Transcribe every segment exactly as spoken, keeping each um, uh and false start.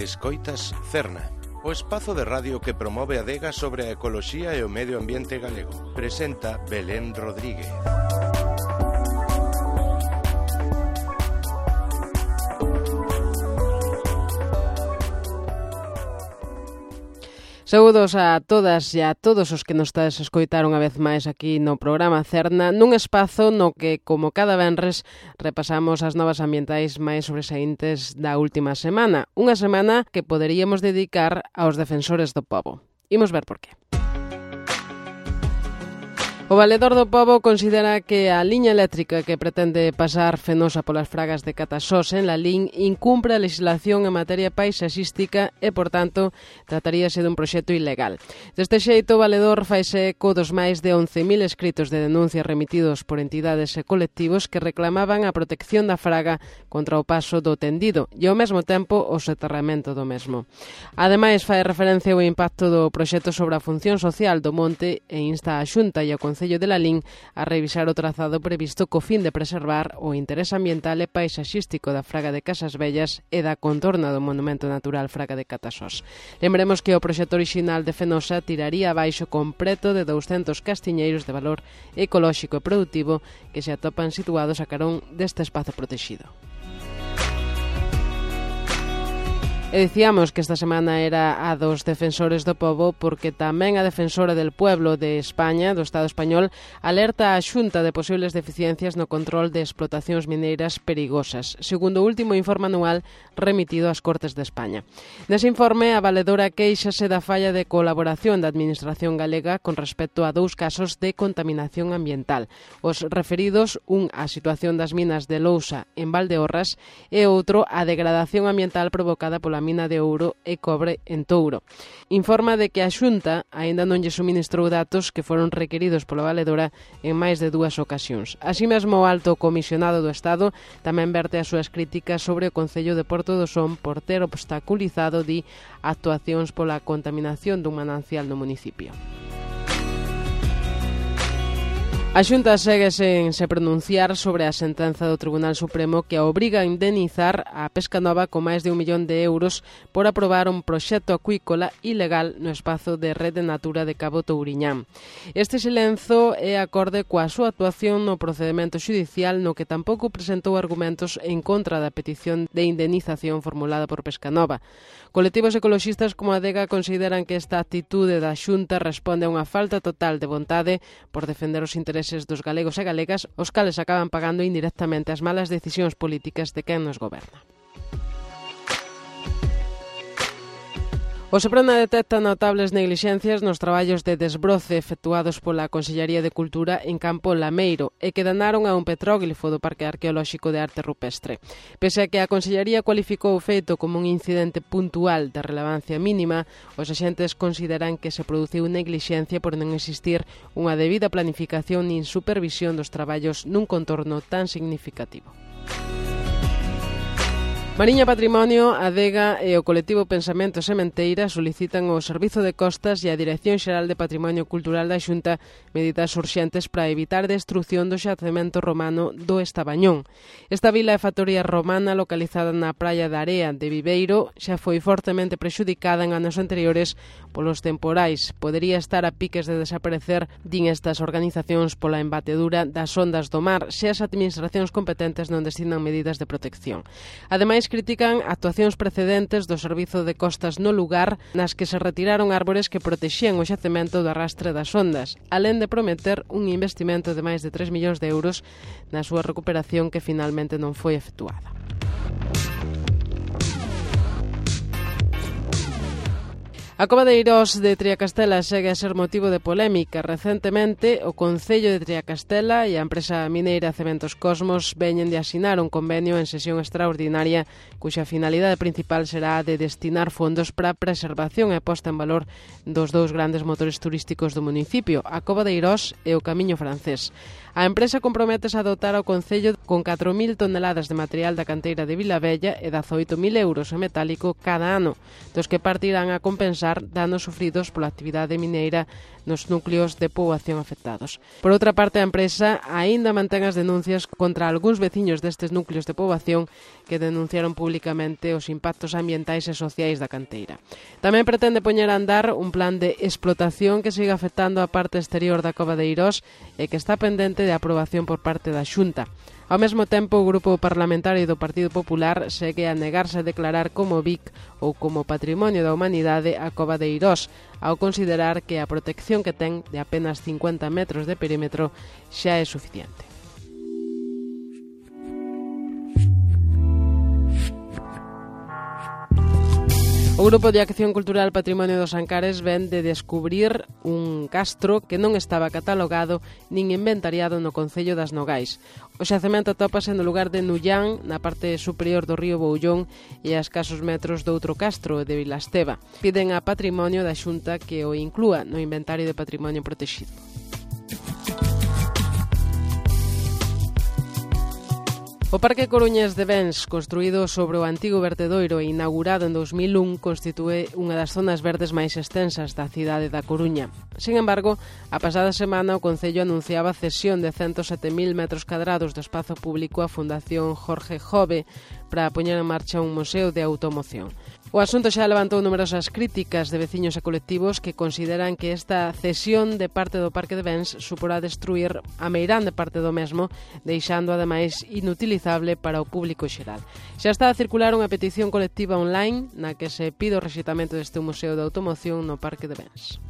Escoitas Cerna, o espazo de radio que promove a adega sobre a ecoloxía e o medio ambiente galego. Presenta Belén Rodríguez. Saúdos a todas e a todos os que nos estades a escoitar unha vez máis aquí no programa Cerna, nun espazo no que, como cada venres, repasamos as novas ambientais máis sobresaíntes da última semana. Unha semana que poderíamos dedicar aos defensores do pobo. Imos ver por qué. O Valedor do Pobo considera que a liña eléctrica que pretende pasar fenosa polas fragas de Catasós en Lalín incumpre a legislación en materia paisaxística e, por tanto, trataríase dun proxecto ilegal. Deste xeito, o Valedor faise eco dos máis de once mil escritos de denuncia remitidos por entidades e colectivos que reclamaban a protección da fraga contra o paso do tendido e, ao mesmo tempo, o soterramento do mesmo. Ademais, fai referencia ao impacto do proxecto sobre a función social do monte e insta a Xunta e ao Concello de Lalín a revisar o trazado previsto co fin de preservar o interese ambiental e paisaxístico da Fraga de Casas Vellas e da contorna do Monumento Natural Fraga de Catasós. Lembremos que o proxecto orixinal de Fenosa tiraría abaixo completo de douscentos castiñeiros de valor ecolóxico e produtivo que se atopan situados a carón deste espazo protexido. E dicíamos que esta semana era a dos defensores do pobo porque tamén a defensora del pueblo de España, do Estado español, alerta a Xunta de posibles deficiencias no control de explotacións mineiras perigosas, segundo o último informe anual remitido ás Cortes de España. Nese informe, a valedora quéixase da falla de colaboración da Administración galega con respecto a dous casos de contaminación ambiental. Os referidos, un á situación das minas de Lousa en Valdeorras e outro á degradación ambiental provocada pola mina de ouro e cobre en Touro. Informa de que a Xunta aínda non lle suministrou datos que foron requeridos pola valedora en máis de dúas ocasións. Así mesmo, o alto comisionado do Estado tamén verte as súas críticas sobre o Concello de Porto do Son por ter obstaculizado, di, actuacións pola contaminación dun manancial no municipio. A Xunta segue sen se pronunciar sobre a sentenza do Tribunal Supremo que a obriga a indemnizar a Pescanova con máis de un millón de euros por aprobar un proxecto acuícola ilegal no espazo de Rede Natura de Cabo Touriñán. Este silenzo é acorde coa súa actuación no procedemento xudicial no que tampouco presentou argumentos en contra da petición de indemnización formulada por Pescanova. Colectivos ecoloxistas como a Adega consideran que esta actitude da Xunta responde a unha falta total de vontade por defender os intereses dos galegos e galegas, os cales acaban pagando indirectamente as malas decisións políticas de quen nos goberna. O Seprona detecta notables neglixencias nos traballos de desbroce efectuados pola Consellería de Cultura en Campo Lameiro e que danaron a un petróglifo do Parque Arqueolóxico de Arte Rupestre. Pese a que a Consellería cualificou o feito como un incidente puntual de relevancia mínima, os axentes consideran que se produciu neglixencia por non existir unha debida planificación nin supervisión dos traballos nun contorno tan significativo. Mariña Patrimonio, Adega e o colectivo Pensamento Sementeira solicitan ao Servizo de Costas e a Dirección Xeral de Patrimonio Cultural da Xunta medidas urxentes para evitar destrución do xacemento romano do Estabañón. Esta vila e factoría romana localizada na praia da Area de Viveiro xa foi fortemente prexudicada en anos anteriores polos temporais. Podería estar a piques de desaparecer, din estas organizacións, pola embatedura das ondas do mar se as administracións competentes non destinan medidas de protección. Ademais, critican actuacións precedentes do Servizo de Costas no lugar nas que se retiraron árbores que protexían o xacemento do arrastre das ondas, alén de prometer un investimento de máis de tres millóns de euros na súa recuperación que finalmente non foi efectuada. A cova de Eirós de Triacastela segue a ser motivo de polémica. Recentemente, o Concello de Triacastela e a empresa mineira Cementos Cosmos veñen de asinar un convenio en sesión extraordinaria cuxa finalidade principal será a de destinar fondos para a preservación e posta en valor dos dous grandes motores turísticos do municipio, a cova de Eirós e o Camiño Francés. A empresa comprométese a dotar ao Concello con catro mil toneladas de material da canteira de Vilavella e dezaoito mil euros en metálico cada ano, dos que partirán a compensar reparar danos sufridos pola actividade mineira nos núcleos de poboación afectados. Por outra parte, a empresa aínda mantén as denuncias contra algúns veciños destes núcleos de poboación que denunciaron públicamente os impactos ambientais e sociais da canteira. Tamén pretende poñer a andar un plan de explotación que siga afectando a parte exterior da cova de Eirós e que está pendente de aprobación por parte da Xunta. Ao mesmo tempo, o Grupo Parlamentario do Partido Popular segue a negarse a declarar como B I C ou como Patrimonio da Humanidade a cova de Eirós, ao considerar que a protección que ten de apenas cincuenta metros de perímetro xa é suficiente. O Grupo de Acción Cultural Patrimonio dos Ancares ven de descubrir un castro que non estaba catalogado nin inventariado no Concello das Nogais. O xacemento atópase no lugar de Nullán, na parte superior do río Boullón e a escasos metros do outro castro, de Vilasteva. Piden a Patrimonio da Xunta que o inclúa no inventario de patrimonio protegido. O Parque Coruñés de Bens, construído sobre o antigo vertedoiro e inaugurado en dous mil un, constitúe unha das zonas verdes máis extensas da cidade da Coruña. Sin embargo, a pasada semana o Concello anunciaba a cesión de ciento sete mil metros cadrados do espazo público á Fundación Jorge Jove para poñer en marcha un museo de automoción. O asunto xa levantou numerosas críticas de veciños e colectivos que consideran que esta cesión de parte do Parque de Bens suporá destruir a meirande parte do mesmo, deixando ademais inutilizable para o público xeral. Xa está a circular unha petición colectiva online na que se pide o rexitamento deste museo de automoción no Parque de Bens.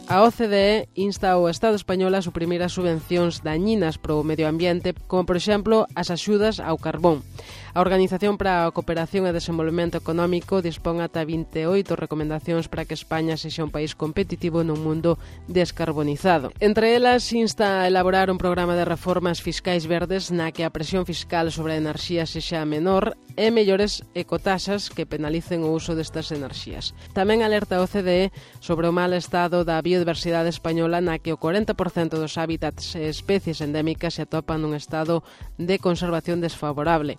A O C D E insta ao Estado español a suprimir as subvencións dañinas para o medio ambiente, como, por exemplo, as axudas ao carbón. A Organización para a Cooperación e Desenvolvemento Económico dispón ata vinte e oito recomendacións para que España sexa un país competitivo nun mundo descarbonizado. Entre elas, insta a elaborar un programa de reformas fiscais verdes na que a presión fiscal sobre a enerxía sexa menor e mellores ecotaxas que penalicen o uso destas enerxías. Tamén alerta a O C D E sobre o mal estado da biodiversidade española na que o corenta por cento dos hábitats e especies endémicas se atopan nun estado de conservación desfavorable.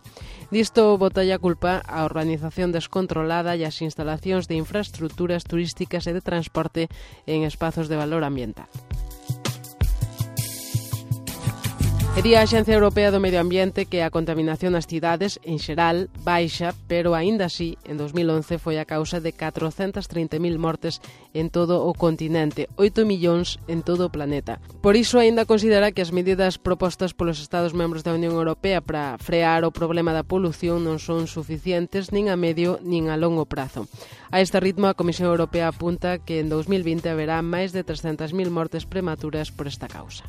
Disto botalle a culpa a urbanización descontrolada e as instalacións de infraestructuras turísticas e de transporte en espazos de valor ambiental. E di a Axencia Europea do Medio Ambiente que a contaminación nas cidades, en xeral, baixa, pero aínda así, en dos mil once foi a causa de catrocentas trinta mil mortes en todo o continente, oito millóns en todo o planeta. Por iso, aínda considera que as medidas propostas polos Estados membros da Unión Europea para frear o problema da polución non son suficientes nin a medio nin a longo prazo. A este ritmo, a Comisión Europea apunta que en dos mil vinte haberá máis de trescentas mil mortes prematuras por esta causa.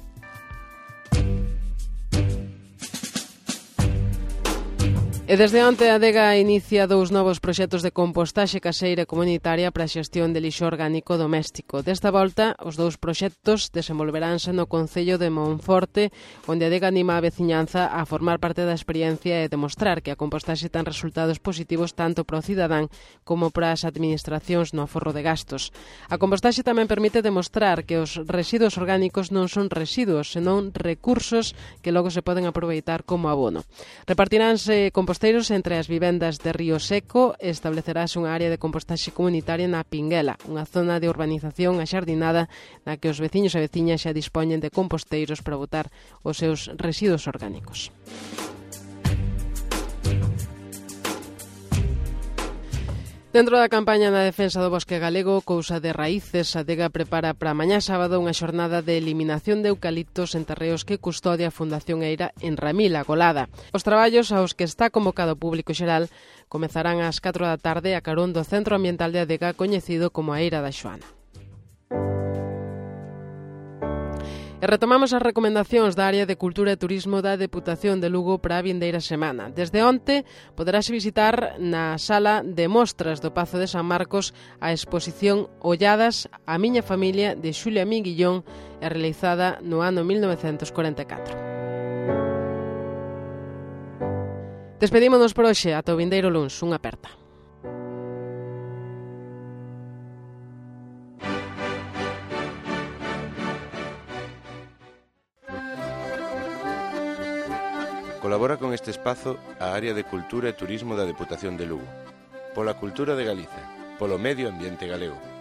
E desde onte a Adega inicia dous novos proxectos de compostaxe caseira comunitaria para a xestión de lixo orgánico doméstico. Desta volta, os dous proxectos desenvolveránse no Concello de Monforte, onde a Adega anima a veciñanza a formar parte da experiencia e demostrar que a compostaxe ten resultados positivos tanto para o cidadán como para as administracións no aforro de gastos. A compostaxe tamén permite demostrar que os residuos orgánicos non son residuos, senón recursos que logo se poden aproveitar como abono. Repartiránse compostasteiros entre as vivendas de Río Seco e establecerase unha área de compostaxe comunitaria na Pinguela, unha zona de urbanización axardinada na que os veciños e veciñas xa dispoñen de composteiros para botar os seus residuos orgánicos. Dentro da campaña na defensa do bosque galego, Cousa de Raíces, a Adega prepara para mañá sábado unha xornada de eliminación de eucaliptos en terreos que custodia a Fundación Eira en Ramil, a Golada. Os traballos aos que está convocado o público xeral comezarán ás catro da tarde a carón do Centro Ambiental de Adega, coñecido como a Eira da Xoana. E retomamos as recomendacións da área de Cultura e Turismo da Deputación de Lugo para a vindeira semana. Desde onte poderase visitar na sala de mostras do Pazo de San Marcos a exposición Olladas a miña familia de Xulia Minguillón e realizada no ano mil novecentos corenta e catro. Despedímonos por hoxe, ata o vindeiro luns. Unha aperta. Colabora con este espazo a Área de Cultura e Turismo da Deputación de Lugo. Pola cultura de Galiza. polo medio ambiente galego.